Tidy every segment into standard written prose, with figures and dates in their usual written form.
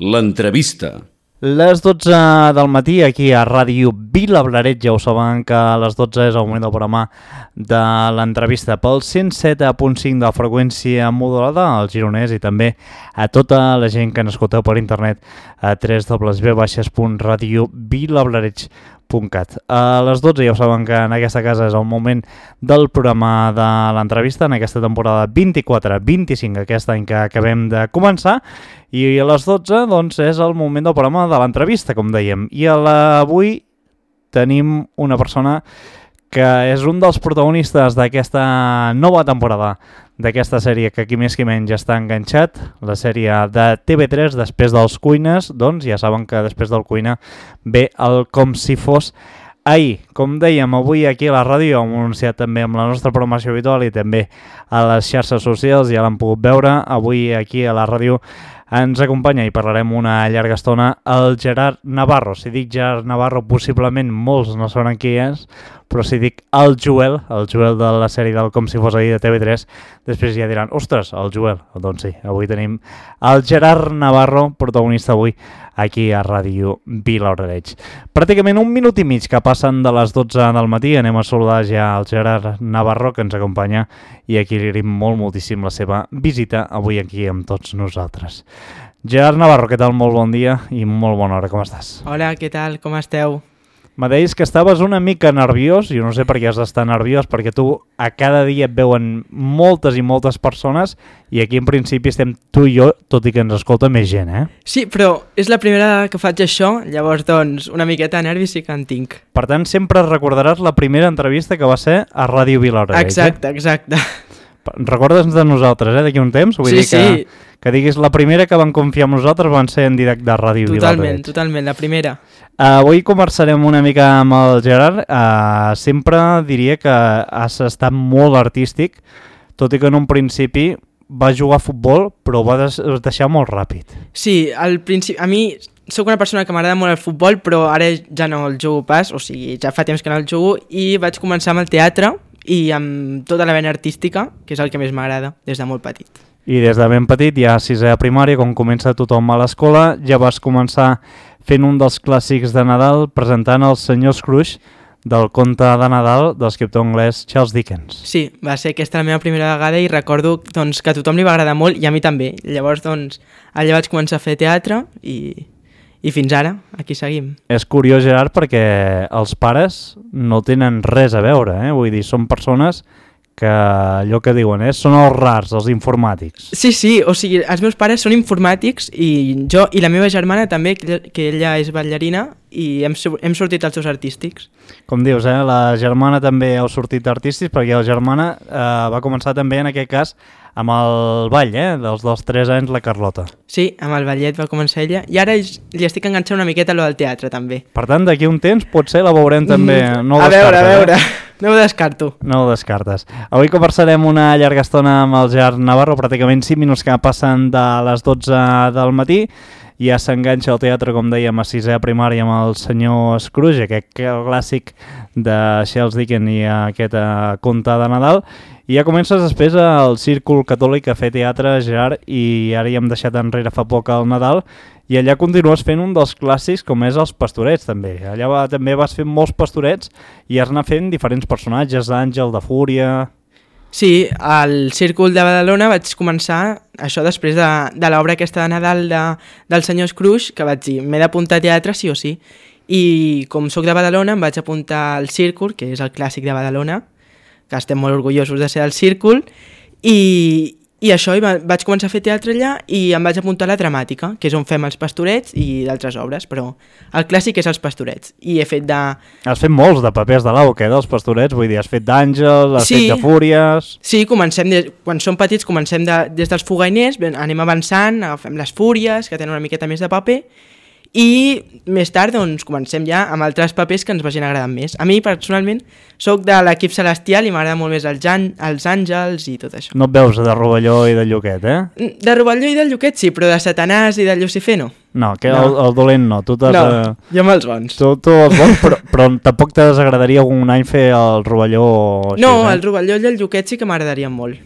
L'entrevista. Les 12 del matí aquí a Ràdio Vilablareix, ja ho saben que a les 12 és el moment del programa de l'entrevista pel 107.5 de la freqüència modulada al Gironès i també a tota la gent que n'escolteu per internet a www.radiovilablareix.cat. A les 12 ja ho saben que en aquesta casa és el moment del programa de l'entrevista en aquesta temporada 24-25, aquest any que acabem de començar, i a les 12 doncs, és el moment del programa de l'entrevista, com dèiem. I avui tenim una persona que és un dels protagonistes d'aquesta nova temporada, d'aquesta sèrie que aquí més que menys està enganxat, la sèrie de TV3 després dels Cuines, doncs ja saben que després del Cuina ve el Com si fos ahir. Com dèiem, avui aquí a la ràdio hem anunciat també amb la nostra programació habitual i també a les xarxes socials, ja l'han pogut veure, avui aquí a la ràdio ens acompanya i parlarem una llarga estona el Gerard Navarro. Si dic Gerard Navarro, possiblement molts no saben qui és, però si dic el Joel de la sèrie del Com si fos ahir de TV3, després ja diran, ostres, el Joel. Doncs sí, avui tenim el Gerard Navarro, protagonista avui aquí a Ràdio Vilablareix. Pràcticament un minut i mig que passen de les 12 del matí, anem a saludar ja el Gerard Navarro que ens acompanya i aquí li agraïm moltíssim la seva visita avui aquí amb tots nosaltres. Gerard Navarro, què tal? Molt bon dia i molt bona hora, com estàs? Hola, què tal? Com esteu? Me deies que estaves una mica nerviós, jo no sé per què has d'estar nerviós, perquè tu a cada dia et veuen moltes i moltes persones i aquí en principi estem tu i jo, tot i que ens escolta més gent, eh? Sí, però és la primera que faig això, llavors doncs una miqueta de nervis sí que en tinc. Per tant, sempre recordaràs la primera entrevista que va ser a Ràdio Vilablareix. Exacte, exacte. Recordes de nosaltres, d'aquí un temps? Vull dir que diguis la primera que van confiar en nosaltres van ser en directe de Ràdio Vilablareix. Totalment, la primera. Avui conversarem una mica amb el Gerard. Sempre diria que has estat molt artístic, tot i que en un principi va jugar a futbol, però ho va deixar molt ràpid. Sí, al principi, a mi sóc una persona que m'agrada molt el futbol, però ara ja no el jugo pas, o sigui, ja fa temps que no el jugo, i vaig començar amb el teatre i amb tota la vena artística, que és el que més m'agrada des de molt petit. I des de ben petit, ja a sisè de primària, com comença tothom a l'escola, ja vas començar fent un dels clàssics de Nadal presentant el Senyor Scrooge del conte de Nadal de l'escriptor anglès Charles Dickens. Sí, va ser aquesta la meva primera vegada i recordo doncs, que a tothom li va agradar molt i a mi també. Llavors doncs, allà vaig començar a fer teatre i fins ara, aquí seguim. És curiós, Gerard, perquè els pares no tenen res a veure, vull dir, són persones que allò que diuen són els rars, els informàtics. Sí, o sigui, els meus pares són informàtics i jo i la meva germana també, que ella és ballarina i hem sortit als seus artístics. Com dius, la germana també heu sortit artístics perquè la germana va començar també en aquest cas amb el ball, dels 3 anys, la Carlota. Sí, amb el ballet va començar ella i ara li estic enganxant una miqueta a lo del teatre també. Per tant, d'aquí un temps potser la veurem també. No a veure. No ho descarto. No ho descartes. Avui conversarem una llarga estona amb el Gerard Navarro, pràcticament 5 minuts que passen de les 12 del matí. Ja s'enganxa al teatre, com dèiem, a sisè de primària amb el Senyor Scrooge, aquest clàssic de Charles Dickens i aquest conte de Nadal. I ja comences després al Círcul Catòlic a fer teatre, Gerard, i ara ja hem deixat enrere fa poc el Nadal, i allà continues fent un dels clàssics com és els Pastorets, també. Allà també vas fent molts pastorets i has anat fent diferents personatges, d'Àngel, de Fúria... Sí, al Círcul de Badalona vaig començar això després de l'obra aquesta de Nadal del Senyor Scrooge, que vaig dir, m'he d'apuntar a teatre sí o sí. I com sóc de Badalona em vaig apuntar al Círcul, que és el clàssic de Badalona, que estem molt orgullosos de ser al Círcul, i això, vaig començar a fer teatre allà i em vaig apuntar a la dramàtica, que és on fem els Pastorets i d'altres obres, però el clàssic és els Pastorets. I he fet de... Has fet molts de papers de l'AUC, dels Pastorets, vull dir, has fet d'Àngel, has fet de Fúries... Sí, quan som petits comencem des dels fogainers, anem avançant, agafem les Fúries, que tenen una miqueta més de paper, i més tard doncs, comencem ja amb altres papers que ens vagin agradant més. A mi personalment sóc de l'equip celestial i m'agrada molt més els àngels i tot això. No et veus de Rovelló i de Lluquet, De Rovelló i del Lluquet sí, però de Satanàs i de Lucifer no. No, que el dolent no. Tu jo amb els bons. Tu els bons, però tampoc te desagradaria algun any fer el Rovelló? No, el Rovelló i el Lluquet sí que m'agradarien molt.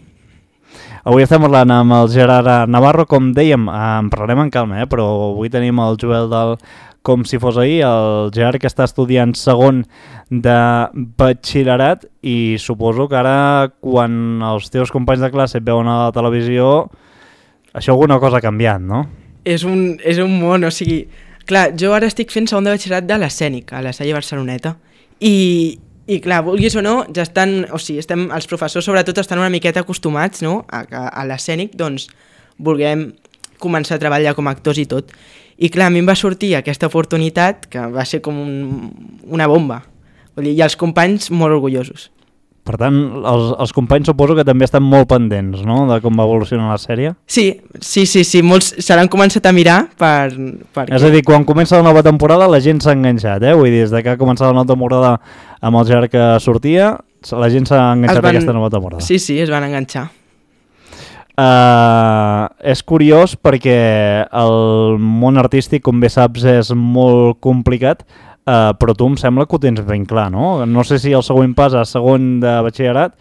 Avui estem parlant amb el Gerard Navarro, com dèiem, en parlarem en calma, però avui tenim el Joel del Com si fos ahir, el Gerard que està estudiant segon de batxillerat i suposo que ara quan els teus companys de classe et veuen a la televisió això alguna cosa ha canviat, no? És un món, o sigui... Clar, jo ara estic fent segon de batxillerat de l'Escènic, a la Salle Barceloneta, i clar, vulguis o no, ja estan, o sigui, els professors sobretot estan una miqueta acostumats, no?, a l'Escènic, doncs, vulguem començar a treballar com a actors i tot. I clar, a mi em va sortir aquesta oportunitat que va ser com una bomba. Vull dir, i els companys molt orgullosos. Per tant, els companys suposo que també estan molt pendents, no?, de com va evolucionar la sèrie. Sí, molts se l'han començat a mirar perquè... És a dir, quan comença la nova temporada la gent s'ha enganxat, Vull dir, des que ha començat la nova temporada amb el Gerard que sortia, la gent s'ha enganxat a aquesta nova temporada. Sí, es van enganxar. És curiós perquè el món artístic, com bé saps, és molt complicat, però tu em sembla que ho tens ben clar, no? No sé si el següent pas a segon de batxillerat,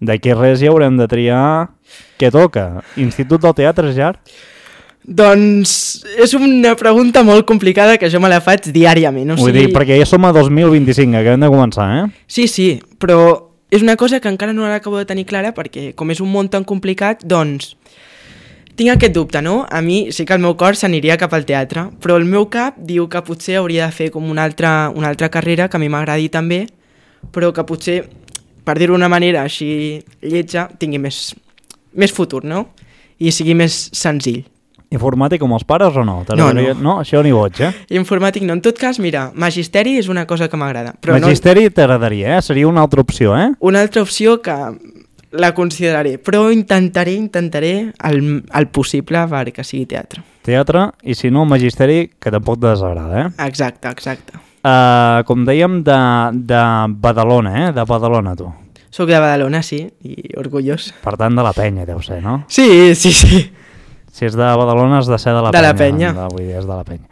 d'aquí res ja haurem de triar què toca. Institut del Teatre, Gerard? Doncs és una pregunta molt complicada que jo me la faig diàriament. Vull dir, perquè ja som a 2025, acabem de començar, Sí, però és una cosa que encara no l'acabo de tenir clara perquè com és un món tan complicat, doncs tinc aquest dubte, no? A mi sí que el meu cor s'aniria cap al teatre, però el meu cap diu que potser hauria de fer com una altra carrera que a mi m'agradi també, però que potser, per dir-ho d'una manera així lletja, tingui més futur, no? I sigui més senzill. Informàtic com els pares o no? No, això ni boig, Informàtic no. En tot cas, mira, magisteri és una cosa que m'agrada. Magisteri t'agradaria, Seria una altra opció, Una altra opció que la consideraré, però intentaré el possible perquè sigui teatre. Teatre, i si no, magisteri, que tampoc te desagrada, Exacte. Com dèiem, de Badalona, de Badalona, tu. Soc de Badalona, sí, i orgullós. Per tant, de la penya, deu ser, no? Sí. Si és de Badalona, has de ser de la penya. De la penya. Vull dir, és de la penya.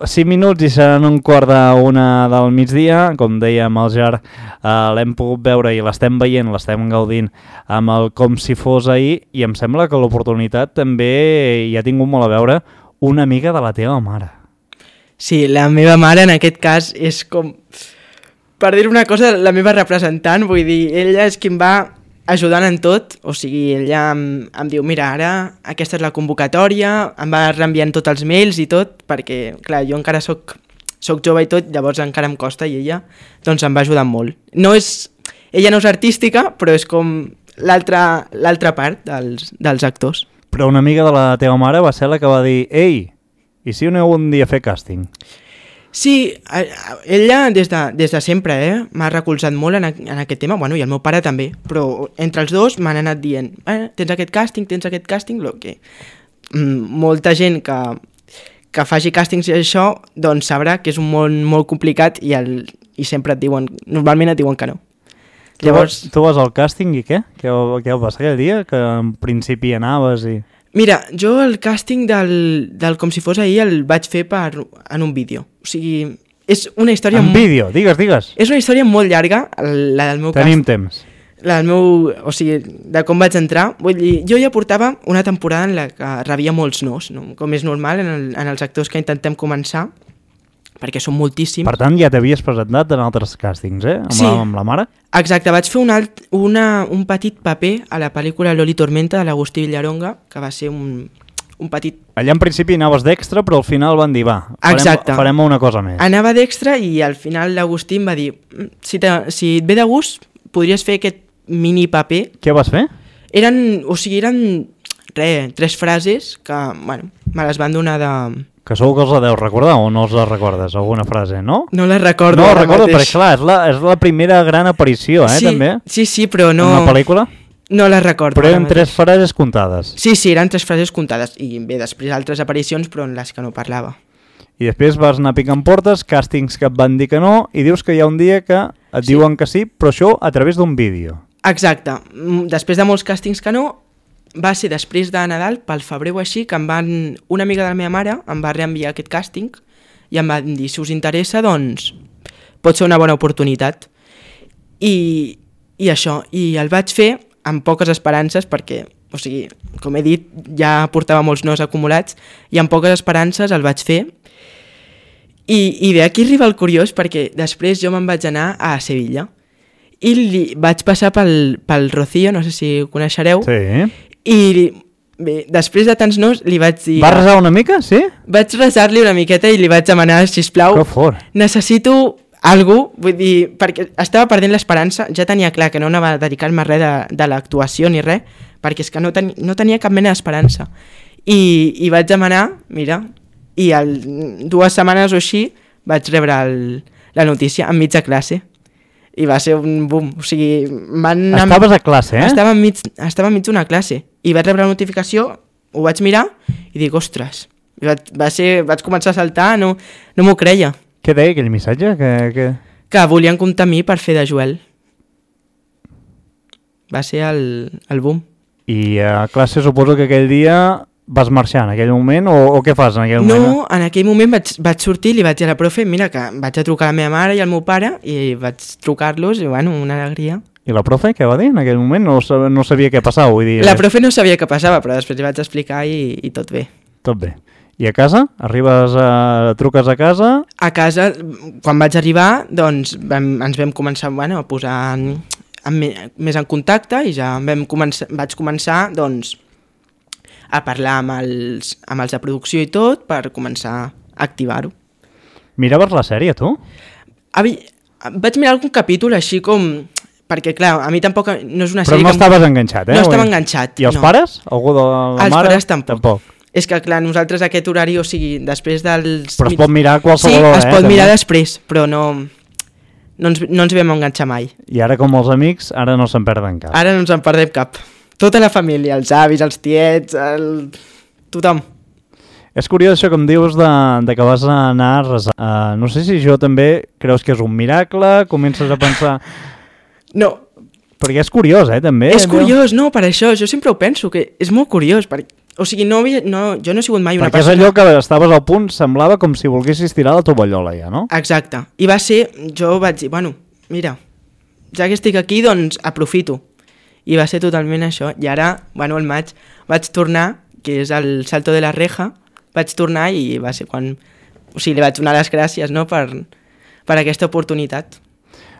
5 minuts i seran 1:45 del migdia. Com dèiem, el Gerard l'hem pogut veure i l'estem veient, l'estem gaudint amb el Com si fos ahir, i em sembla que l'oportunitat també hi ha tingut molt a veure una amiga de la teva mare. Sí, la meva mare en aquest cas és com, per dir una cosa, la meva representant, vull dir, ella és qui em va ajudant en tot, o sigui, ella em diu, mira, ara aquesta és la convocatòria, em va reenviant tots els mails i tot, perquè, clar, jo encara soc jove i tot, llavors encara em costa, i ella, doncs, em va ajudant molt. Ella no és artística, però és com l'altra part dels actors. Però una amiga de la teva mare va ser la que va dir, ei, i si aneu un dia a fer càsting? Sí, ella des de sempre m'ha recolzat molt en aquest tema, bueno, i el meu pare també, però entre els dos m'han anat dient tens aquest càsting, que molta gent que faci càstings i això, doncs sabrà que és un món molt complicat i sempre normalment et diuen que no. Llavors... Tu vas al càsting i què? Què va passar aquell dia? Que en principi anaves i... Mira, jo el càsting del Com si fos ahir el vaig fer en un vídeo. O sigui, és una història... En vídeo, digues. És una història molt llarga, la del meu càsting. Tenim temps. La del meu... O sigui, de com vaig entrar. Vull dir, jo ja portava una temporada en la que rebia molts nos, no? Com és normal en els actors que intentem començar, perquè són moltíssims. Per tant, ja t'havies presentat en altres càstings, amb la mare? Exacte, vaig fer un petit paper a la pel·lícula Loli Tormenta de l'Agustí Villaronga, que va ser un petit... Allà en principi anaves d'extra, però al final van dir, farem una cosa més. Anava d'extra i al final l'Agustí em va dir, si et ve de gust, podries fer aquest mini paper. Què vas fer? Eren 3 frases que, bueno, me les van donar de... Que segur que els la deus recordar o no els la recordes, alguna frase, no? No la recordo. No la recordo, perquè clar, és la primera gran aparició, també? Sí, però no... En la pel·lícula? No la recordo. Però eren 3 frases comptades. Sí, eren 3 frases comptades. I bé, després altres aparicions, però en les que no parlava. I després vas anar picant portes, càstings que et van dir que no, i dius que hi ha un dia que et diuen que sí, però això a través d'un vídeo. Exacte. Després de molts càstings que no, va ser després de Nadal, pel febrer o així, que una amiga de la meva mare em va reenviar aquest càsting i em va dir, si us interessa, doncs pot ser una bona oportunitat. I això, i el vaig fer amb poques esperances perquè o sigui, com he dit, ja portava molts nos acumulats i amb poques esperances el vaig fer. I bé, aquí arriba el curiós, perquè després jo me'n vaig anar a Sevilla i vaig passar pel Rocío, no sé si ho coneixereu, i bé, després de tants nos li vaig dir... Va resar una mica, sí? Vaig resar-li una miqueta i li vaig demanar, sisplau, necessito algú, vull dir, perquè estava perdent l'esperança, ja tenia clar que no anava a dedicar-me a res de l'actuació ni res, perquè és que no tenia cap mena d'esperança. I vaig demanar, mira, i 2 setmanes o així vaig rebre la notícia enmig de classe. I va ser un boom, o sigui... Estaves a classe, eh? Estava enmig d'una classe. I vaig rebre la notificació, ho vaig mirar i dic, ostres, vaig començar a saltar, no m'ho creia. Què deia aquell missatge? Que volien comptar amb mi per fer de Joel. Va ser el boom. I a classe suposo que aquell dia vas marxar en aquell moment o què fas en aquell moment? No, en aquell moment vaig sortir i li vaig dir a la profe, mira que vaig a trucar a la meva mare i al meu pare i vaig trucar-los i bueno, una alegria. I la profe què va dir en aquell moment? No sabia què passava, vull dir... La profe no sabia què passava, però després li vaig explicar i tot bé. Tot bé. I a casa? Truques a casa? A casa, quan vaig arribar, doncs ens vam començar a posar més en contacte i ja vaig començar doncs, a parlar amb els de producció i tot per començar a activar-ho. Miraves la sèrie, tu? Vaig mirar algun capítol així com... Perquè, clar, a mi tampoc no és una sèrie... Però no estaves enganxat, eh? No estava enganxat, I els pares? Algú de la mare? Els pares tampoc. És que, clar, nosaltres aquest horari, o sigui, després dels... Però es pot mirar a qualsevol hora, Sí, es pot mirar després, però no ens vam enganxar mai. I ara, com els amics, ara no se'n perden cap. Ara no ens en perdem cap. Tota la família, els avis, els tiets, tothom. És curiós això que em dius de que vas anar a resar. No sé si jo també creus que és un miracle, comences a pensar... No. Perquè és curiós, també. És curiós, no, per això, jo sempre ho penso, que és molt curiós, o sigui, jo no he sigut mai una persona... Perquè és allò que estaves al punt, semblava com si volguessis tirar la tovallola ja, no? Exacte, i va ser, jo vaig dir, bueno, mira, ja que estic aquí, doncs aprofito, i va ser totalment això, i ara, bueno, al maig vaig tornar, que és el Salto de la Reja, vaig tornar i va ser quan, o sigui, li vaig donar les gràcies, no?, per aquesta oportunitat.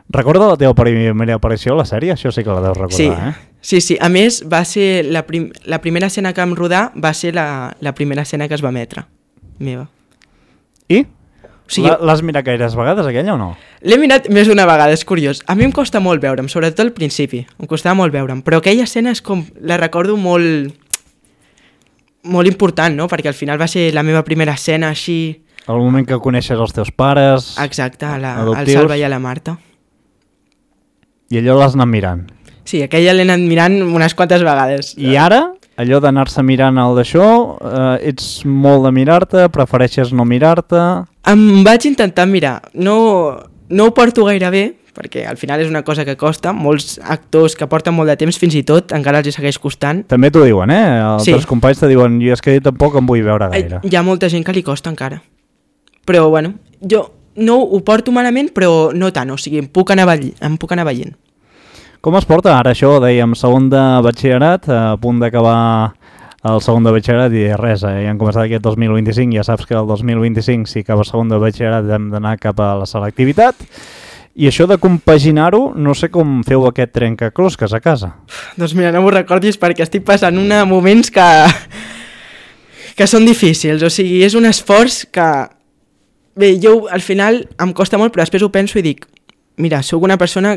Recorda la teva primera aparició a la sèrie? Això sí que la deus recordar, Sí. A més, va ser la primera escena que vam rodar va ser la primera escena que es va emetre, meva. I? O sigui, l'has mirat gaires vegades, aquella, o no? L'he mirat més d'una vegada, és curiós. A mi em costa molt veure'm, sobretot al principi. Em costava molt veure'm, però aquella escena és com... La recordo molt important, no? Perquè al final va ser la meva primera escena així... El moment que coneixes els teus pares... Exacte, el Salva i a la Marta. I allò l'has anat mirant. Sí, aquella l'he anat mirant unes quantes vegades. I ara, allò d'anar-se mirant el d'això, ets molt de mirar-te, prefereixes no mirar-te... Em vaig intentar mirar. No ho porto gaire bé, perquè al final és una cosa que costa. Molts actors que porten molt de temps, fins i tot, encara els segueix costant. També t'ho diuen, Altres companys te diuen, jo és que tampoc em vull veure gaire. Hi ha molta gent que li costa encara. Però, bueno, jo... No ho porto malament, però no tant, o sigui, em puc anar veient. Com es porta ara això, dèiem, segon de batxillerat, a punt d'acabar el segon de batxillerat i res, ja hem començat aquest 2025, ja saps que el 2025, si acaba segon de batxillerat, hem d'anar cap a la selectivitat, i això de compaginar-ho, no sé com feu aquest trencaclosques a casa. Doncs mira, no m'ho recordis perquè estic passant moments que són difícils, o sigui, és un esforç que... Bé, jo al final em costa molt, però després ho penso i dic, mira, sóc una persona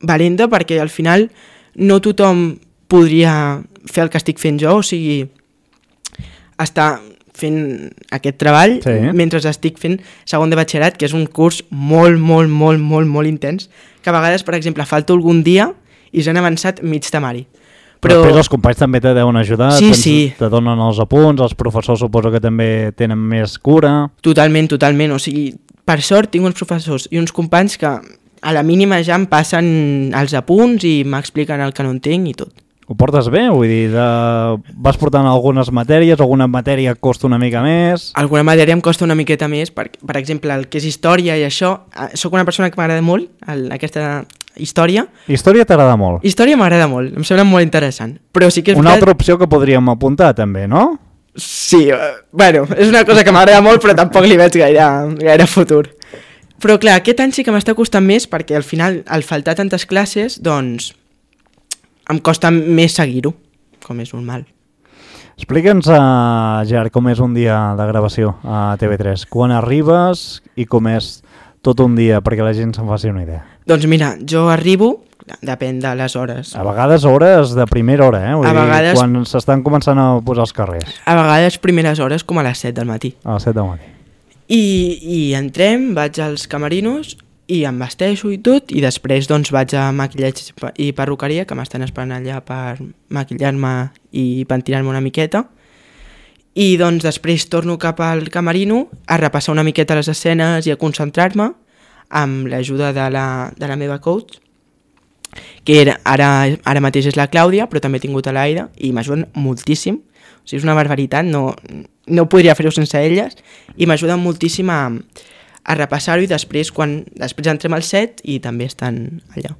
valenta perquè al final no tothom podria fer el que estic fent jo, o sigui, estar fent aquest treball mentre estic fent segon de batxillerat, que és un curs molt, molt, molt, molt, molt intens, que a vegades, per exemple, falto algun dia i s'han avançat mig temari. Però després els companys també te deuen ajudar, te donen els apunts, els professors suposo que també tenen més cura... Totalment, o sigui, per sort tinc uns professors i uns companys que a la mínima ja em passen els apunts i m'expliquen el que no entenc i tot. Ho portes bé? Vull dir, vas portant algunes matèries, alguna matèria costa una mica més... Alguna matèria em costa una miqueta més, per exemple, el que és història i això, sóc una persona que m'agrada molt, aquesta història. Història t'agrada molt? Història m'agrada molt, em sembla molt interessant. Però sí que és una altra opció que podríem apuntar també, no? Sí, bueno, és una cosa que m'agrada molt però tampoc li veig gaire futur. Però clar, aquest any sí que m'està costant més perquè al final, al faltar tantes classes, doncs em costa més seguir-ho, com és normal. Explica'ns, Gerard, com és un dia de gravació a TV3. Quan arribes i com és tot un dia, perquè la gent se'n faci una idea. Doncs mira, jo arribo, depèn de les hores. A vegades hores de primera hora, Vull dir, vegades, quan s'estan començant a posar els carrers. A vegades primeres hores com a les 7 del matí. A les 7 del matí. I entrem, vaig als camerinos i em vesteixo i tot, i després doncs vaig a maquillatge i perruqueria, que m'estan esperant allà per maquillar-me i pentinar-me una miqueta. I doncs després torno cap al camerino a repassar una miqueta les escenes i a concentrar-me amb l'ajuda de la meva coach, que ara mateix és la Clàudia, però també he tingut a l'Aida, i m'ajuden moltíssim. O sigui, és una barbaritat, no podria fer-ho sense elles, i m'ajuden moltíssim a repassar-ho, i després entrem al set i també estan allà.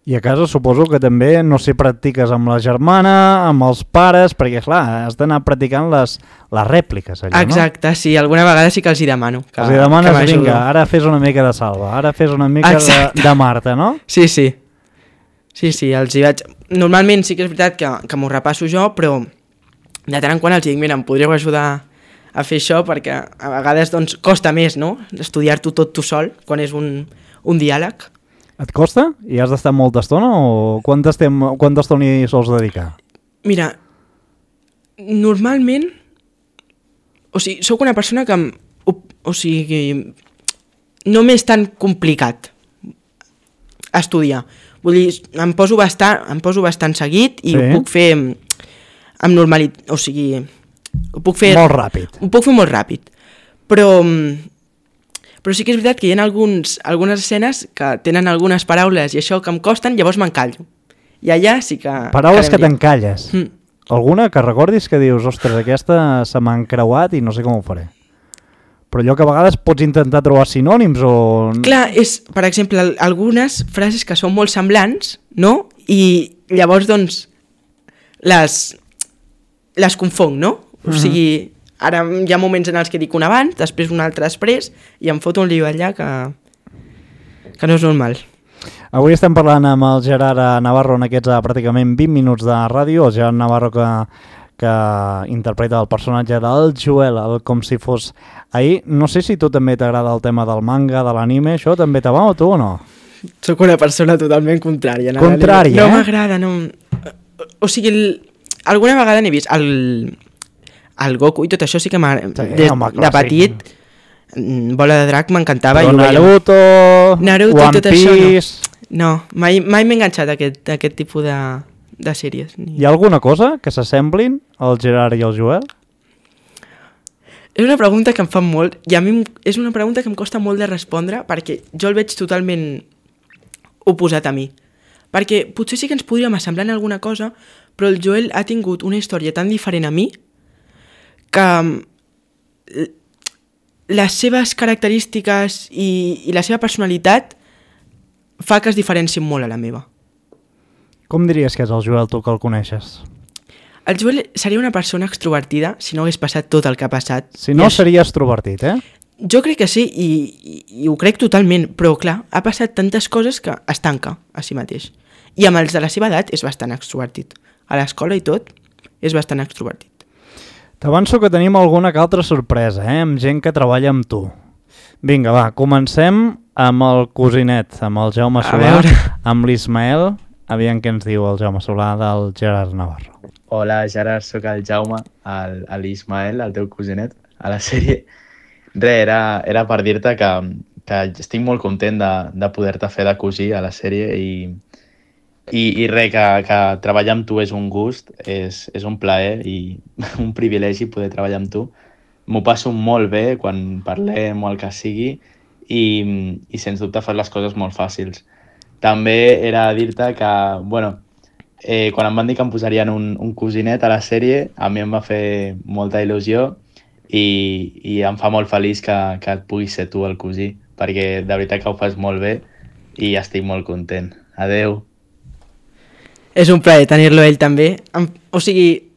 I a casa suposo que també, no sé, practiques amb la germana, amb els pares, perquè clar, has d'anar practicant les rèpliques allà, no? Exacte, sí, alguna vegada sí que els hi demano. Els hi demanes, vinga, ara fes una mica de Salva, ara fes una mica de Marta, no? Sí, els hi vaig... Normalment sí que és veritat que m'ho repasso jo, però de tant en quant els dic, mira, em podríeu ajudar a fer això, perquè a vegades doncs costa més, no?, estudiar-t'ho tot tu sol, quan és un diàleg. Et costa? I has d'estar molta estona o quanta estona hi sols dedicar? Mira, normalment, o sigui, sóc una persona que, no m'és tan complicat estudiar. Vull dir, em poso bastant seguit i ho puc fer amb normalitat, o sigui, ho puc fer... Molt ràpid. Ho puc fer molt ràpid, però sí que és veritat que hi ha algunes escenes que tenen algunes paraules i això que em costen, llavors m'encallo. I allà sí que... Paraules que t'encalles. Alguna que recordis que dius, ostres, aquesta se m'ha encreuat i no sé com ho faré. Però allò que a vegades pots intentar trobar sinònims o... Clar, és, per exemple, algunes frases que són molt semblants, no? I llavors, doncs, les confonc, no? O sigui, ara hi ha moments en els que dic un abans, després un altre després, i em foto un lío allà que no és normal. Avui estem parlant amb el Gerard Navarro en aquests pràcticament 20 minuts de ràdio, el Gerard Navarro que interpreta el personatge del Joel, com si fos ahir. No sé si tu també t'agrada el tema del manga, de l'anime, això també te va o tu o no? Soc una persona totalment contrària. Contrària, no m'agrada, no... O sigui, alguna vegada n'he vist el Goku i tot això sí que m'agrada. De petit, Bola de Drac m'encantava. Però Naruto, One Piece... No, mai m'he enganxat a aquest tipus de sèries. Hi ha alguna cosa que s'assemblin al Gerard i al Joel? És una pregunta que em fan molt i a mi és una pregunta que em costa molt de respondre perquè jo el veig totalment oposat a mi. Perquè potser sí que ens podríem assemblar en alguna cosa, però el Joel ha tingut una història tan diferent a mi que les seves característiques i la seva personalitat fa que es diferencien molt a la meva. Com diries que és el Joel, tu que el coneixes? El Joel seria una persona extrovertida si no hagués passat tot el que ha passat. Si no, seria extrovertit, eh? Jo crec que sí, i ho crec totalment, però clar, ha passat tantes coses que es tanca a si mateix. I amb els de la seva edat és bastant extrovertit. A l'escola i tot és bastant extrovertit. T'avanço que tenim alguna que altra sorpresa, amb gent que treballa amb tu. Vinga, va, comencem amb el cosinet, amb el Jaume Solà, amb l'Ismael. Aviam què ens diu el Jaume Solà del Gerard Navarro. Hola, Gerard, sóc el Jaume, l'Ismael, el teu cosinet, a la sèrie. Era per dir-te que estic molt content de poder-te fer de cosí a la sèrie i res, que treballar amb tu és un gust, és un plaer i un privilegi poder treballar amb tu. M'ho passo molt bé quan parlem o el que sigui i sens dubte fas les coses molt fàcils. També era dir-te que, quan em van dir que em posarien un cosinet a la sèrie, a mi em va fer molta il·lusió i em fa molt feliç que et puguis ser tu el cosí, perquè de veritat que ho fas molt bé i estic molt content. Adeu. És un plaer tenir-lo ell també. O sigui,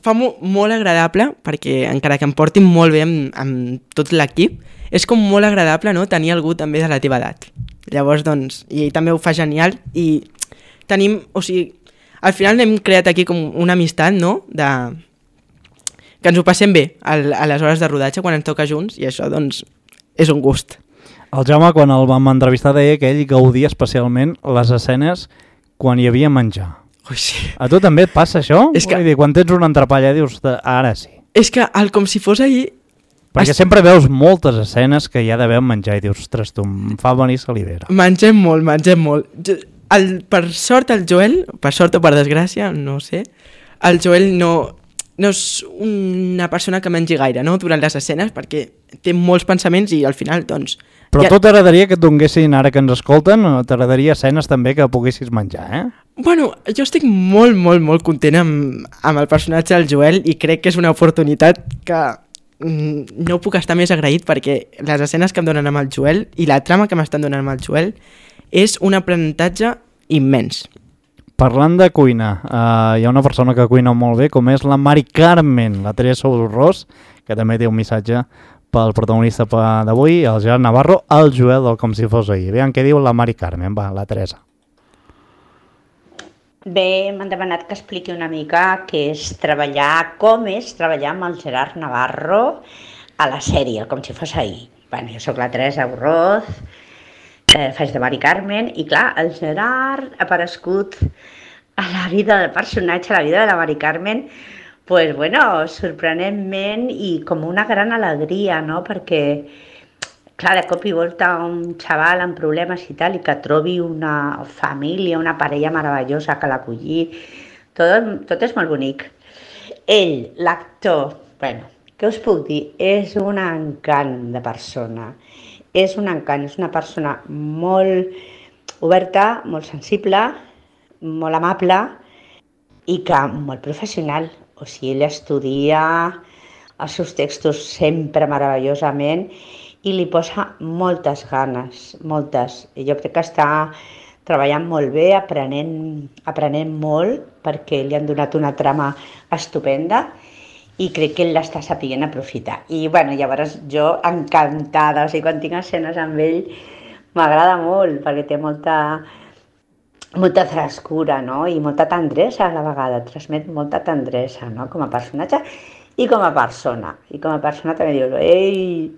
fa molt agradable, perquè encara que em portin molt bé amb tot l'equip, és com molt agradable, no?, tenir algú també de la teva edat. Llavors, doncs, i ell també ho fa genial i tenim, o sigui, al final hem creat aquí com una amistat, no?, que ens ho passem bé a les hores de rodatge quan ens toca junts i això, doncs, és un gust. El Jaume, quan el vam entrevistar, deia que ell gaudia especialment les escenes quan hi havia menjar. Ui, sí. A tu també et passa això? És que... Vull dir, quan tens una entrepalla dius, ara sí. És que com si fos ahir... Perquè sempre veus moltes escenes que hi ha d'haver menjar i dius, ostres, tu, em fa venir salivera. Mengem molt. Per sort el Joel, per sort o per desgràcia, no sé, el Joel no és una persona que mengi gaire, no?, durant les escenes, perquè té molts pensaments i al final, doncs... Però ja... tu t'agradaria que et donessin, ara que ens escolten, t'agradaria escenes també que poguessis menjar, eh? Bueno, jo estic molt content amb el personatge del Joel i crec que és una oportunitat que no puc estar més agraït, perquè les escenes que em donen amb el Joel i la trama que m'estan donant amb el Joel és un aprenentatge immens. Parlant de cuina, hi ha una persona que cuina molt bé, com és la Mari Carmen, la Teresa Urrós, que també té un missatge pel protagonista d'avui, el Gerard Navarro, el Joel del Com si fos ahir. Veiem què diu la Mari Carmen, va, la Teresa. Bé, m'han demanat que expliqui una mica com és treballar amb el Gerard Navarro a la sèrie, com si fos ahir. Bueno, jo sóc la Teresa Urroz, faig de Mari Carmen, i clar, el Gerard ha aparegut a la vida del personatge, a la vida de la Mari Carmen, pues bueno, sorprenentment i com una gran alegria, no?, perquè clar, de cop i volta un xaval amb problemes i tal, i que trobi una família, una parella meravellosa que l'acolli, tot és molt bonic. Ell, l'actor, bueno, què us puc dir? És un encant de persona. És un encant, és una persona molt oberta, molt sensible, molt amable i que molt professional. O sigui, ell estudia els seus textos sempre meravellosament i li posa moltes ganes, moltes. I jo crec que està treballant molt bé, aprenent molt, perquè li han donat una trama estupenda i crec que ell l'està sapient aprofitar. I bueno, llavors jo encantada, o sigui, quan tinc escenes amb ell m'agrada molt, perquè té molta frescura, no?, i molta tendresa a la vegada, transmet molta tendresa, no?, com a personatge i com a persona. I com a persona també dius, ei,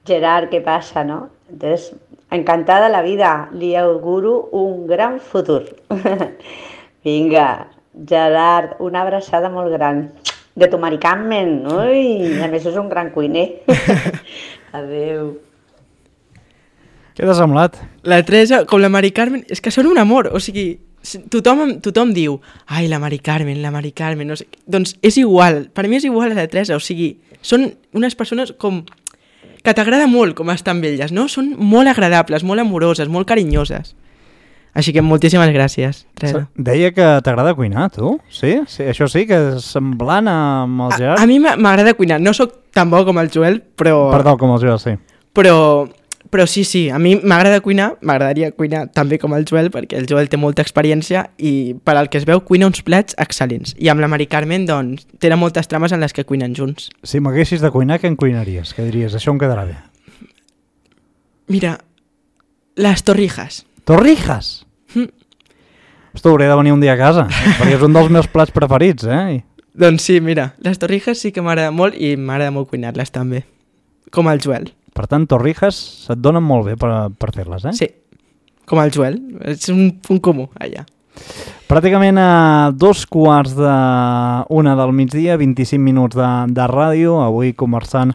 Gerard, què passa, no? Entonces, encantada de la vida, li auguro un gran futur. Vinga, Gerard, una abraçada molt gran. De tu Mari Carmen, ui, a més és un gran cuiner. Adéu. Què t'ha semblat? La Teresa, com la Mari Carmen, és que són un amor, o sigui, tothom diu, ai, la Mari Carmen, no sé. Doncs és igual, per mi és igual a la Teresa, o sigui, són unes persones com que t'agrada molt com estan amb elles, no? Són molt agradables, molt amoroses, molt carinyoses. Així que moltíssimes gràcies, Teresa. Deia que t'agrada cuinar, tu? Sí? Això sí, que és semblant amb el Gerard? A mi m'agrada cuinar, no sóc tan bo com el Joel, però... Perdó, com el Joel, sí. Però sí, a mi m'agrada cuinar, m'agradaria cuinar també com el Joel, perquè el Joel té molta experiència i per al que es veu cuina uns plats excel·lents. I amb la Mari Carmen, doncs, tenen moltes trames en les que cuinen junts. Si m'haguessis de cuinar, què em cuinaries? Què diries? Això em quedarà bé. Mira, les torrijas. Torrijas? Hosti, hauré de venir un dia a casa, perquè és un dels meus plats preferits, eh? Doncs sí, mira, les torrijas sí que m'agrada molt i m'agrada molt cuinar-les també, com el Joel. Per tant, torrijas se't donen molt bé per fer-les, eh? Sí, com el Joel. És un punt comú, allà. Pràcticament a 2:45 del migdia, 25 minuts de ràdio, avui conversant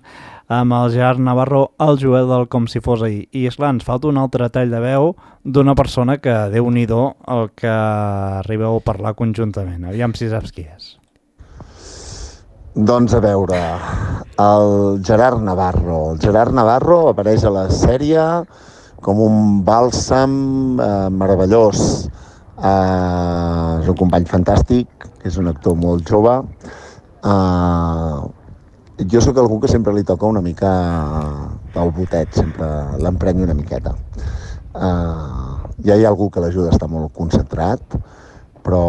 amb el Gerard Navarro, el Joel del Com si fos ahir. I esclar, ens falta un altre tall de veu d'una persona que, Déu-n'hi-do, el que arribeu a parlar conjuntament. Aviam si saps qui és. Doncs a veure, el Gerard Navarro. El Gerard Navarro apareix a la sèrie com un bàlsam meravellós. És un company fantàstic, és un actor molt jove. Jo sóc algú que sempre li toca una mica el botet, sempre l'emprenyo una miqueta. Ja hi ha algú que l'ajuda a estar molt concentrat, però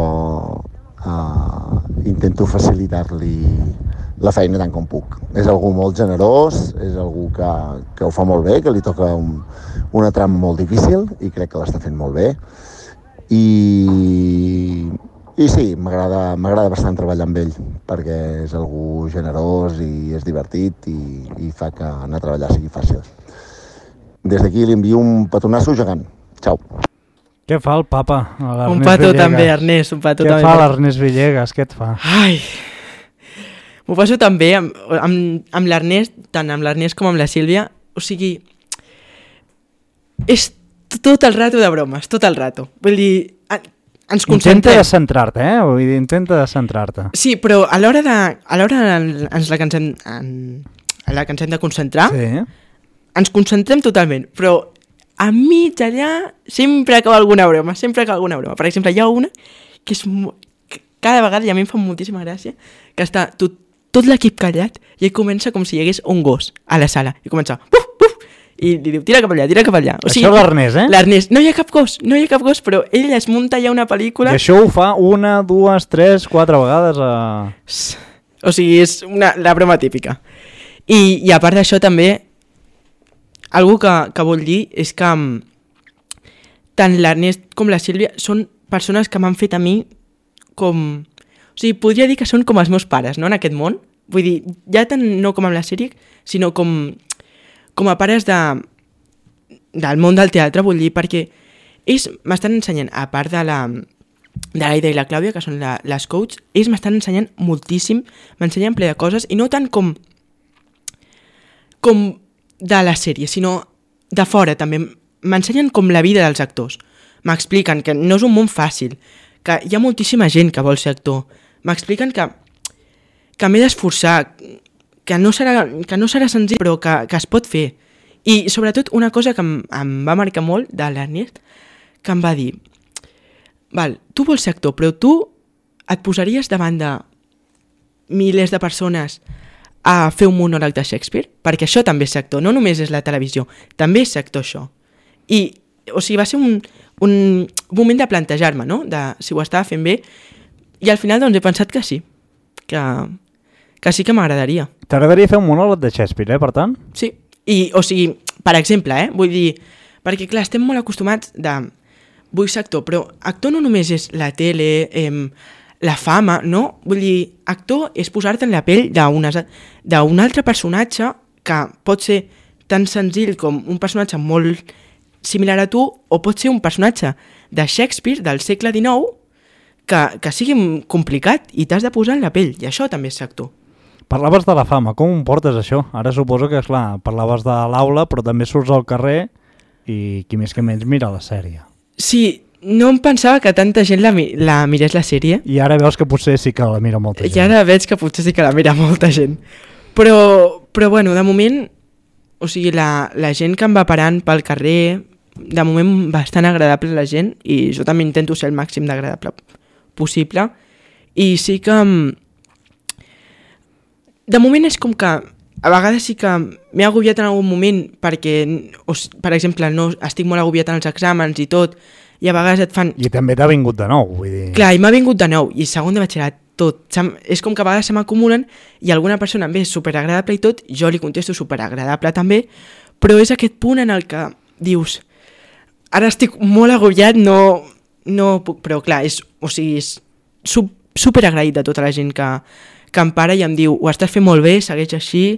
intento facilitar-li la feina tant com puc. És algú molt generós, és algú que ho fa molt bé, que li toca una trama molt difícil i crec que l'està fent molt bé. I sí, m'agrada bastant treballar amb ell, perquè és algú generós i és divertit i fa que anar a treballar sigui fàcil. Des d'aquí li envio un petonasso gegant. Xau. Què fa el papa? Un petó també, Ernest, un petó també. Què fa l'Ernest Villegas? Què et fa? Ai, m'ho passo també amb l'Ernest, tant amb l'Ernest com amb la Sílvia. O sigui, és tot el rato de bromes, tot el rato. Vull dir, ens concentrem. Intenta de centrar-te, Vull dir, intenta de centrar-te. Sí, però a l'hora ens la que ens hem de concentrar, sí. Ens concentrem totalment, però a mig allà sempre acaba alguna broma, Per exemple, hi ha una que és cada vegada, i a mi em fa moltíssima gràcia, que està tot l'equip callat i ell comença com si hi hagués un gos a la sala, i comença buf, buf, i li diu tira cap allà. O sigui, això l'Ernest, L'Ernest, no hi ha cap gos, però ell es munta ja una pel·lícula. I això ho fa 1, 2, 3, 4 vegades O sigui, és la broma típica. I a part d'això també, algú que vull dir és que tant l'Ernest com la Sílvia són persones que m'han fet a mi com... O sigui, podria dir que són com els meus pares, no?, en aquest món. Vull dir, ja tant no com amb la sèrie, sinó com a pares del món del teatre, vull dir, perquè ells m'estan ensenyant, a part de l'Aida i la Clàudia, que són les coaches, ells m'estan ensenyant moltíssim, m'ensenyen ple de coses, i no tant com de la sèrie, sinó de fora també. M'ensenyen com la vida dels actors. M'expliquen que no és un món fàcil, que hi ha moltíssima gent que vol ser actor. M'expliquen que m'he d'esforçar, que no serà senzill, però que es pot fer. I sobretot una cosa que em va marcar molt de l'Ernest, que em va dir, val, tu vols ser actor, però tu et posaries davant de milers de persones a fer un monòleg de Shakespeare, perquè això també és ser actor, no només és la televisió, també és ser actor això. I, o sigui, va ser un moment de plantejar-me, no?, de si ho estava fent bé, i al final doncs he pensat que sí, que sí que m'agradaria. T'agradaria fer un monòleg de Shakespeare, per tant? Sí, i, o sigui, per exemple, vull dir, perquè clar, estem molt acostumats vull ser actor, però actor no només és la tele, la fama, no? Vull dir, actor és posar-te en la pell d'un altre personatge que pot ser tan senzill com un personatge molt similar a tu, o pot ser un personatge de Shakespeare del segle XIX que sigui complicat i t'has de posar en la pell, i això també és ser actor. Parlaves de la fama, com ho portes això? Ara suposo que, esclar, parlaves de l'aula, però també surts al carrer i qui més que menys mira la sèrie. Sí, no em pensava que tanta gent la mirés la sèrie. I ara veus que potser sí que la mira molta gent. I ara veig que potser sí que la mira molta gent. Però bueno, de moment, o sigui, la gent que em va parant pel carrer, de moment bastant agradable la gent, i jo també intento ser el màxim d'agradable possible. I sí que... De moment és com que a vegades sí que m'he agobiat en algun moment perquè, per exemple, no estic molt agobiat en els exàmens i tot, i a vegades et fan... I també t'ha vingut de nou, vull dir... Clar, i m'ha vingut de nou, i segon de batxillerat, tot. És com que a vegades se m'acumulen i alguna persona em ve superagradable i tot, jo li contesto superagradable també, però és aquest punt en el que dius, ara estic molt agobiat, no puc... Però clar, és superagraït de tota la gent que em para i em diu, ho estàs fent molt bé, segueix així,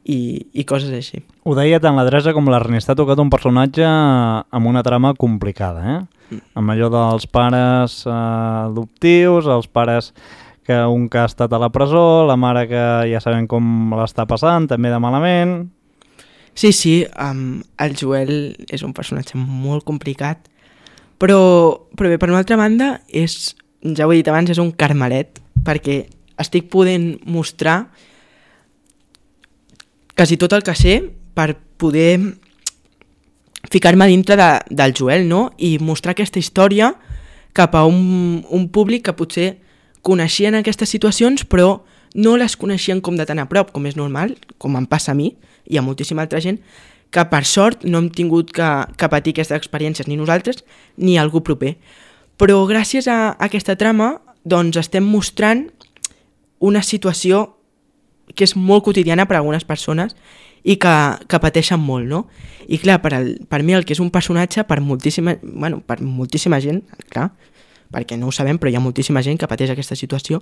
i coses així. Ho deia tant l'Adresa com l'Ernest, ha tocat un personatge amb una trama complicada, amb allò dels pares adoptius, els pares que un que ha estat a la presó, la mare que ja sabem com l'està passant, també de malament... Sí, el Joel és un personatge molt complicat, però bé, per una altra banda, ja ho he dit abans, és un carmelet, perquè estic podent mostrar quasi tot el que sé per poder ficar-me dintre del Joel, no? I mostrar aquesta història cap a un públic que potser coneixien aquestes situacions, però no les coneixien com de tan a prop, com és normal, com em passa a mi i a moltíssima altra gent, que per sort no hem tingut que patir aquestes experiències ni nosaltres ni algú proper. Però gràcies a aquesta trama doncs estem mostrant una situació que és molt quotidiana per a algunes persones i que pateixen molt, no? I clar, per mi el que és un personatge, per moltíssima gent, clar, perquè no ho sabem, però hi ha moltíssima gent que pateix aquesta situació,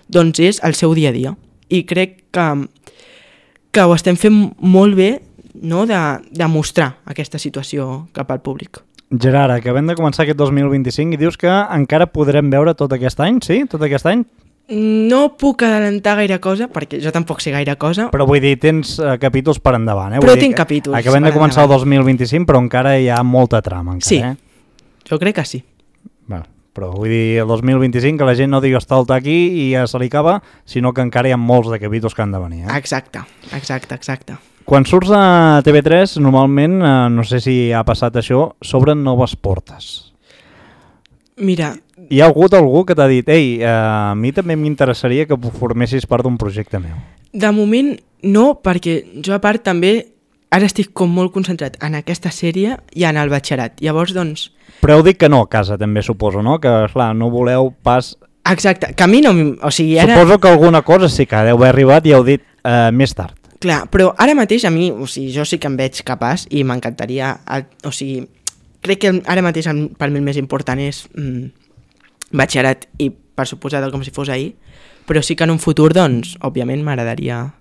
doncs és el seu dia a dia. I crec que ho estem fent molt bé, no?, de mostrar aquesta situació cap al públic. Gerard, acabem de començar aquest 2025 i dius que encara podrem veure tot aquest any, sí? Tot aquest any? No puc adelantar gaire cosa, perquè jo tampoc sé gaire cosa. Però vull dir, tens capítols per endavant, Però tinc capítols. Acabem de començar el 2025, però encara hi ha molta trama. Encara, sí, jo crec que sí. Bueno, però vull dir, el 2025, que la gent no digui estalta aquí i ja se li acaba, sinó que encara hi ha molts de capítols que han de venir. Exacte. Quan surts a TV3, normalment, no sé si ha passat això, s'obren noves portes. Mira... Hi ha hagut algú que t'ha dit ei, a mi també m'interessaria que formessis part d'un projecte meu? De moment no, perquè jo a part també ara estic com molt concentrat en aquesta sèrie i en el batxillerat. Llavors, doncs... Però heu dit que no a casa també, suposo, no? Que, clar, no voleu pas... Exacte, que a mi no... O sigui, ara... Suposo que alguna cosa sí que deu haver arribat i heu dit més tard. Clar, però ara mateix a mi, o sigui, jo sí que em veig capaç i m'encantaria... O sigui, crec que ara mateix per mi el més important és... batxillerat i per suposat com si fos ahir, però sí que en un futur, doncs, òbviament m'agradaria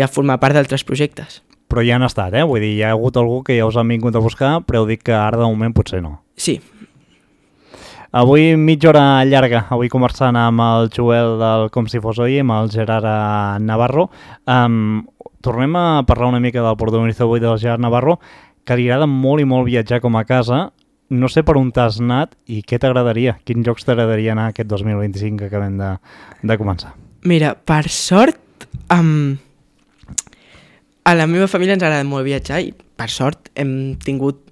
formar part d'altres projectes. Però ja han estat, Vull dir, hi ha hagut algú que ja us han vingut a buscar, però heu dit que ara de moment potser no. Sí. Avui mitja hora llarga, avui conversant amb el Joel del Com si fos hoy, amb el Gerard Navarro. Tornem a parlar una mica del protagonista avui del Gerard Navarro, que li agrada molt i molt viatjar com a casa. No sé per on t'has anat i què t'agradaria? Quins llocs t'agradaria anar aquest 2025 que acabem de començar? Mira, per sort, a la meva família ens agrada molt viatjar i per sort hem tingut...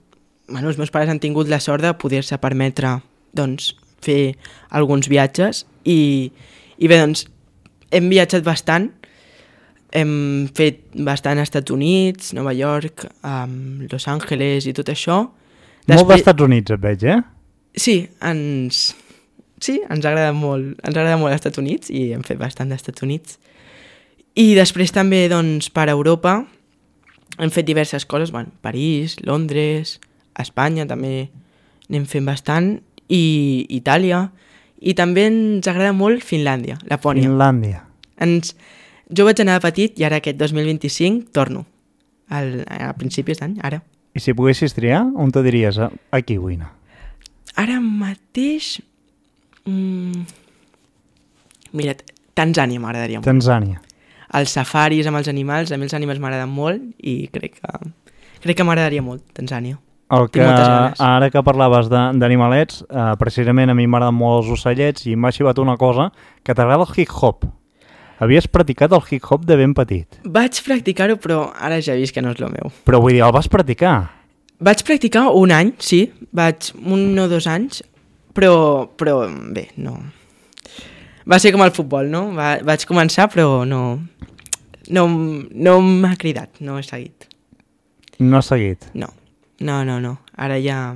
Bueno, els meus pares han tingut la sort de poder-se permetre doncs, fer alguns viatges i bé, doncs, hem viatjat bastant. Hem fet bastant als Estats Units, Nova York, Los Angeles i tot això. Molt dels Estats Units et veig, Sí, ens agrada molt. Ens agrada molt els Estats Units i hem fet bastant dels Estats Units. I després també, doncs, per Europa hem fet diverses coses, París, Londres, Espanya també n'hem fet bastant, i Itàlia. I també ens agrada molt Finlàndia, Lapònia. Finlàndia. Jo vaig anar de petit i ara aquest 2025 torno. A principis d'any, ara. I si poguessis triar, on te diries? Aquí vull anar. Ara mateix... Mira, Tanzània m'agradaria molt. Tanzània. Els safaris amb els animals, a mi els animals m'agraden molt i crec que m'agradaria molt, Tanzània. Ara que parlaves d'animalets, precisament a mi m'agraden molt els ocellets i m'ha xivat una cosa, que t'agrada el hip-hop. Havies practicat el hip-hop de ben petit. Vaig practicar-ho, però ara ja he vist que no és el meu. Però vull dir, el vas practicar? Vaig practicar un any, sí. Vaig 1 o 2 anys, però bé, no... Va ser com el futbol, no? Vaig començar, però no m'ha cridat, no he seguit. No has seguit? No. Ara ja...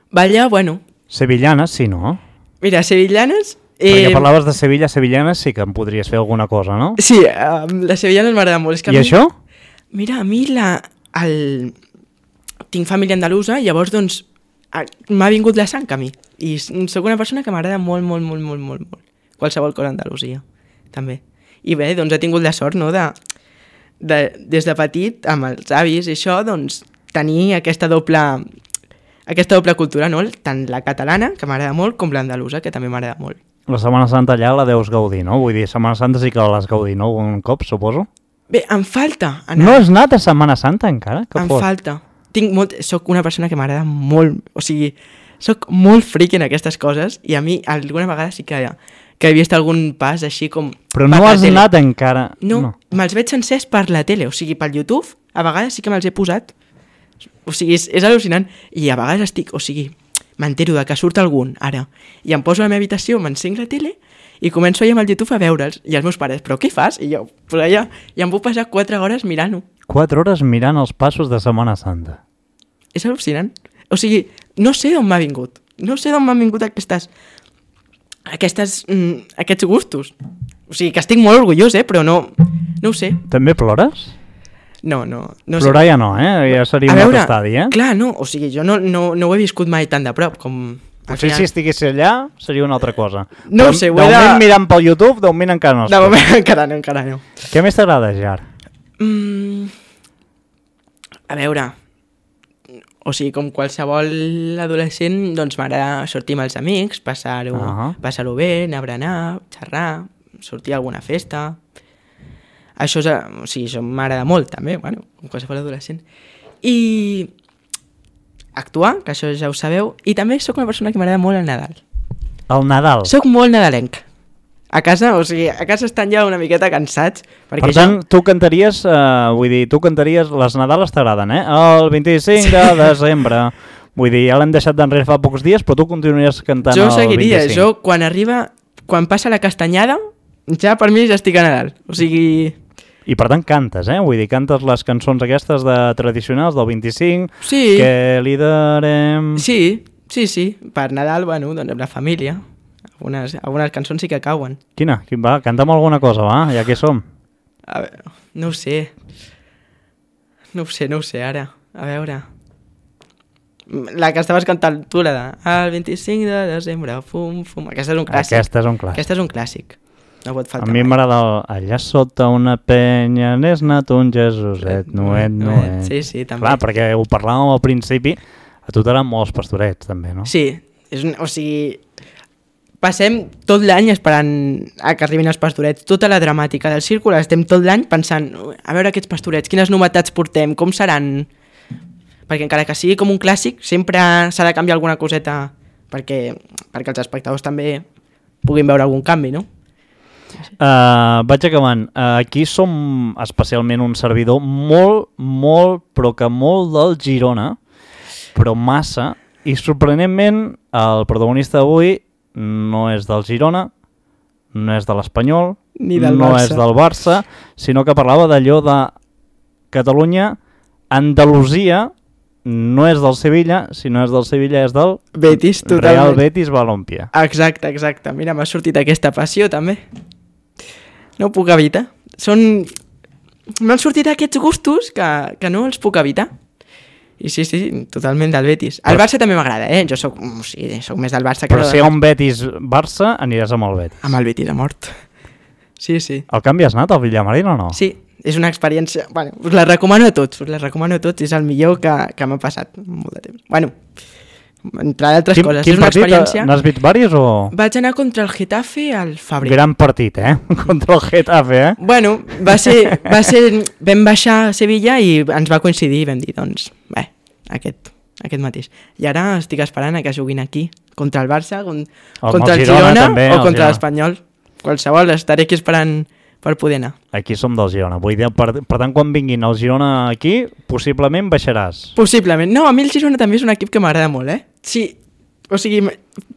Ballar, bueno... Sevillanes, sí, no? Mira, sevillanes... Perquè parlaves de sevillanes, sí que em podries fer alguna cosa, no? Sí, les sevillanes m'agraden molt. I això? Mira, a mi tinc família andalusa i llavors doncs m'ha vingut la sang a mi. I sóc una persona que m'agrada molt. Qualsevol cosa Andalusia, també. I bé, doncs he tingut la sort, no?, des de petit, amb els avis i això, doncs tenir aquesta doble cultura, no? Tant la catalana, que m'agrada molt, com l'andalusa, que també m'agrada molt. La Setmana Santa allà la deus gaudir, no? Vull dir, Setmana Santa sí que l'has gaudir, no? Un cop, suposo. Bé, em falta anar. No has anat a Setmana Santa encara? Falta. Soc una persona que m'agrada molt, o sigui, soc molt friqui en aquestes coses i a mi alguna vegada sí que he vist algun pas així com... Però no has anat encara. No, me'ls veig sencers per la tele, o sigui, pel YouTube, a vegades sí que me'ls he posat. O sigui, és al·lucinant. I a vegades m'entero de que surt algun, ara, i em poso a la meva habitació, m'encenc la tele i començo allà amb el YouTube a veure'ls. I els meus pares, però què fas? I jo, pues allà, i em puc passar 4 hores mirant-ho. 4 hores mirant els passos de Setmana Santa. És al·lucinant. O sigui, no sé d'on m'ha vingut. No sé d'on m'han vingut aquests gustos. O sigui, que estic molt orgullós, però no ho sé. També plores? No Plorar ja no, ja seria un altre estadi, Clar, no, o sigui, jo no ho he viscut mai tan de prop com... Potser si estigués allà seria una altra cosa. No ho sé, de moment mirant pel YouTube, de moment encara no. De moment encara no. Què més t'agrada, Jar? A veure, o sigui, com qualsevol adolescent, doncs m'agrada sortir amb els amics, passar-ho bé, anar a berenar, xerrar, sortir a alguna festa. Això m'agrada molt, també, bueno, com qualsevol adolescent. I actuar, que això ja ho sabeu, i també sóc una persona que m'agrada molt el Nadal. El Nadal? Soc molt nadalenc. A casa estan ja una miqueta cansats. Per tant, tu cantaries, les Nadales t'agraden, El 25 de desembre. Vull dir, ja l'hem deixat d'enrere fa pocs dies, però tu continuaries cantant el 25. Jo seguiria, quan passa la castanyada, ja per mi ja estic a Nadal. O sigui... I per tant cantes, Vull dir, cantes les cançons aquestes tradicionals del 25, sí. Que li darem... Sí. Per Nadal, bueno, doncs amb la família. Algunes cançons sí que cauen. Quina? Va, canta'm alguna cosa, va, ja que som. A veure, no ho sé. No ho sé, ara. A veure... La que estaves cantant tu, la de... El 25 de desembre, fum, fum... Aquesta és un clàssic. Aquesta és un clàssic. No pot faltar. A mi m'agrada allà sota una penya n'és nat un Jesuset, nuet. Sí, també. Clar, perquè ho parlàvem al principi, a tu t'agraden molts pastorets, també, no? Sí, o sigui... Passem tot l'any esperant a que arribin els pastorets. Tota la dramàtica del círcul estem tot l'any pensant a veure aquests pastorets, quines novetats portem, com seran... Perquè encara que sigui com un clàssic, sempre s'ha de canviar alguna coseta perquè els espectadors també puguin veure algun canvi, no? Vaig acabant. Aquí som especialment un servidor molt, però que molt del Girona, però massa, i sorprenentment el protagonista d'avui no és del Girona, no és de l'Espanyol, no és del Barça, sinó que parlava d'allò de Catalunya, Andalusia, no és del Sevilla, si no és del Sevilla és del Betis, Real Betis Balompié. Exacte. Mira, m'ha sortit aquesta passió també. No ho puc evitar. M'han sortit aquests gustos que no els puc evitar. I sí, totalment del Betis. El Barça també m'agrada, Jo soc més del Barça que... Però si hi ha un Betis-Barça, aniràs amb el Betis. Amb el Betis a mort. Sí. El canvi has anat al Villamarín o no? Sí, és una experiència... Bueno, us la recomano a tots, és el millor que m'ha passat molt de temps. Bueno, entre d'altres coses. Quin partit? N'has vist diversos o...? Vaig anar contra el Getafe al febrer. Gran partit, contra el Getafe, Bueno, va ser... Vam baixar a Sevilla i ens va coincidir i vam dir, doncs, bé, aquest mateix. I ara estic esperant a que juguin aquí, contra el Barça, contra el Girona també, o contra l'Espanyol. Qualsevol, estaré aquí esperant per poder anar. Aquí som del Girona. Vull dir, per tant, quan vinguin el Girona aquí, possiblement baixaràs. Possiblement. No, a mi el Girona també és un equip que m'agrada molt, Sí, o sigui,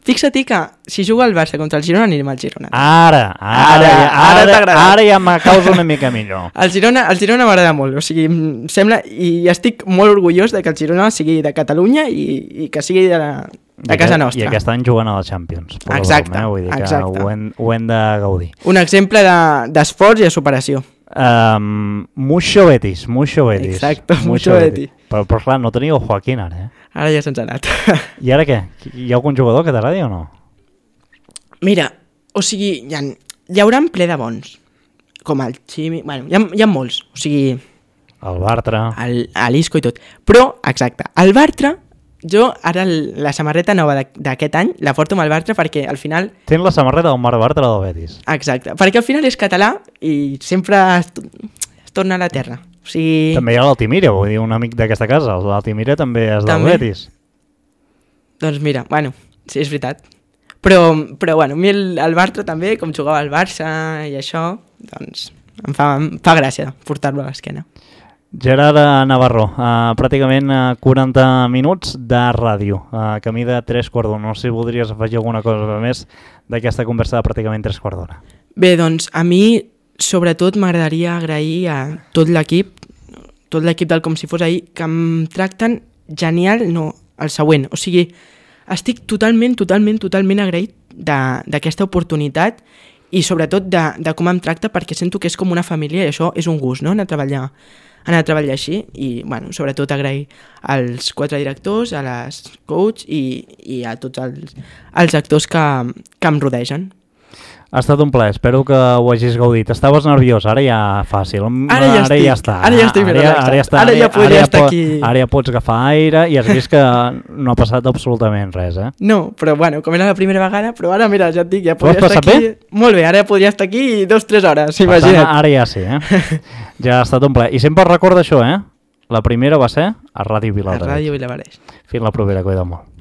fixa't que si juga el Barça contra el Girona anirem al Girona. Ara t'agrada. Ara ja me causa una mica millor. El Girona m'agrada molt, o sigui, em sembla, i estic molt orgullós de que el Girona sigui de Catalunya i que sigui de casa nostra. I aquest any juguen a la Champions. Exacte, vull dir que ho hem de gaudir. Un exemple d'esforç i de superació. Mucho Betis. Exacte, mucho Betis. Però clar, no teniu Joaquín ara, Ara ja se'ns ha anat. I ara què? Hi ha algun jugador que t'agradi o no? Mira, o sigui, hi haurà un ple de bons. Com el Ximi... Bueno, hi ha molts. O sigui... El Bartra. L'Isco i tot. Però, exacte, el Bartra... Jo ara la samarreta nova d'aquest any la porto amb el Bartra perquè al final... Tens la samarreta del Marc Bartra del Betis. Exacte, perquè al final és català i sempre es torna a la terra. O sigui... També hi ha l'Altimira, vull dir, un amic d'aquesta casa. L'Altimira també és del Betis. Doncs mira, bueno, sí, és veritat. Però bueno, a mi el Bartra també, com jugava al Barça i això, doncs em fa gràcia portar-lo a l'esquena. Gerard Navarro, pràcticament 40 minuts de ràdio, camí de 3/4. No sé si voldries afegir alguna cosa més d'aquesta conversa de pràcticament 3/4. Bé, doncs a mi sobretot m'agradaria agrair a tot l'equip, tot l'equip del Com si fos ahir, que em tracten genial, no, el següent. O sigui, estic totalment agraït d'aquesta oportunitat i sobretot de com em tracta, perquè sento que és com una família i això és un gust, no?, anar a treballar així i, bueno, sobretot agrair als 4 directors, a les coach i a tots els actors que em rodegen. Ha estat un plaer, espero que ho hagis gaudit. Estaves nerviós, ara ja fàcil. Ara ja està. Ara ja estic relaxat. Ara ja podria estar aquí. Ara ja pots agafar aire i has vist que no ha passat absolutament res, eh? No, però bueno, com era la primera vegada, però ara, mira, ja et dic, ja podria estar aquí... Bé? Molt bé, ara ja podria estar aquí 2-3 hores, imagina't. Ara ja sí, Ja ha estat un plaer. I sempre recorda això, La primera va ser a Ràdio Viladareix. A Ràdio Viladareix. Fins la propera, cuida molt.